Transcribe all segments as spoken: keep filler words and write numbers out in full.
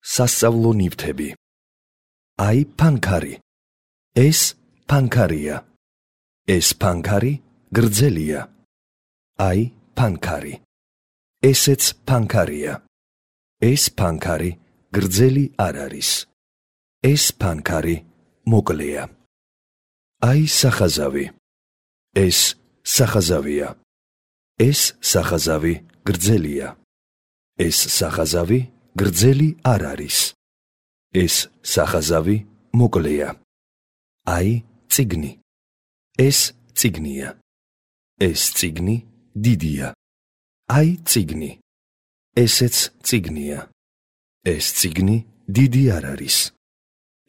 სასწავლო ნივთები. აი ფანქარი. ეს ფანქარია. ეს ფანქარი გრძელია. აი ფანქარი. ესეც ფანქარია. ეს ფანქარი გრძელი არ არის. ეს ფანქარი მოკლეა. აი სახაზავი. ეს სახაზავია. ეს სახაზავი გრძელია. ეს სახაზავი გრძელი არ არის. ეს სახაზავი მოკლეა. აი წიგნი. ეს წიგნია. ეს წიგნი დიდია. აი წიგნი. ესეც წიგნია. ეს წიგნი დიდი არ არის.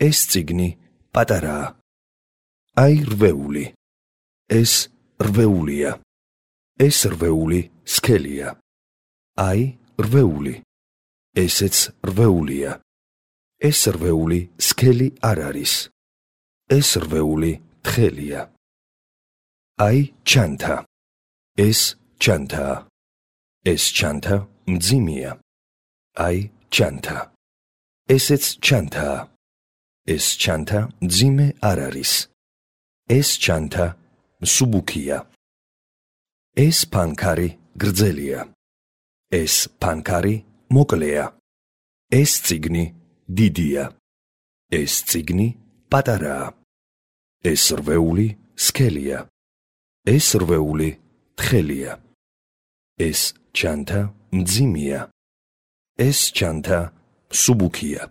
ეს წიგნი პატარაა. აი რვეული. ეს რვეულია. ეს რვეული სქელია. აი რვეული. ესეც რვეულია. ეს რვეული სქელი არ არის. ეს რვეული თხელია. აი ჩანთა. ეს ჩანთაა. ეს ჩანთა მძიმეა. აი ჩანთა. ესეც ჩანთაა. ეს ჩანთა მძიმე არ არის. ეს ჩანთა მსუბუქია. ეს ფანქარი გრძელია. ეს ფანქარი მოკლეა. ეს წიგნი დიდია. ეს წიგნი პატარაა. ეს რვეული სქელია. ეს რვეული თხელია. ეს ჩანთა მძიმეა. ეს ჩანთა მსუბუქია.